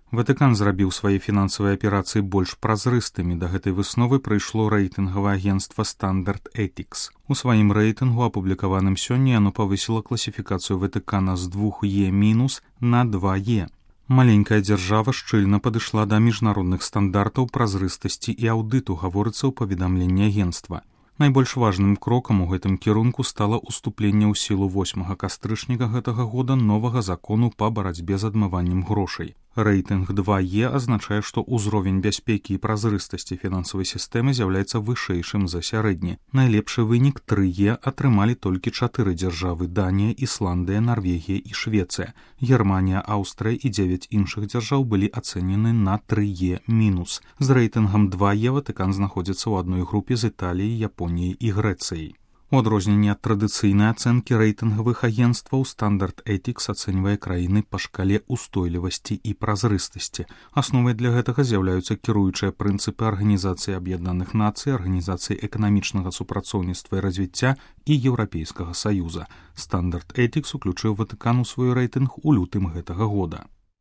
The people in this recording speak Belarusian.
Ватыкан зрабіў свае фінансавыя аперацыі больш празрыстымі. Да гэтай высновы прыйшло рэйтынгавае агенцтва Standard Ethics. У сваім рэйтынгу, апублікаваным сёння, яно павысіла класіфікацыю Ватыкана з 2Е- на 2Е. Маленькая дзяржава шчыльна падышла да міжнародных стандартаў празрыстасці і аўдыту, гаворыцца ў паведамленні агенцтва. Найбольш важным крокам у гэтым кірунку стала ўступленне ў сілу 8 кастрычніка гэтага года новага закону па барацьбе з адмываннем грошай. Рэйтынг 2Е азначае, што ўзровень бяспекі і празрыстасці фінансавай сістэмы з'яўляецца вышэйшым за сярэдні. Найлепшы вынік 3Е атрымалі толькі 4 дзяржавы: Данія, Ісландыя, Нарвегія і Швецыя. Германія, Аўстрыя і 9 іншых дзяржаў былі ацэнены на 3Е-. З рэйтынгам 2Е Ватыкан знаходзіцца ў адной групе з Італіяй, Японіяй і Грэцыяй. У адрозненне ад традыцыйнай ацэнкі рэйтынгавых агенцтваў, Standard Ethics ацэньвае краіны па шкале устойлівасці і празрыстасці. Асновай для гэтага з'яўляюцца кіруючыя прынцыпы Арганізацыі Аб'яднаных Нацый, Арганізацыі эканамічнага супрацоўніцтва і развіцця і Еўрапейскага Саюза. Standard Ethics уключыў Ватыкан у свой рэйтынг у лютым гэтага года.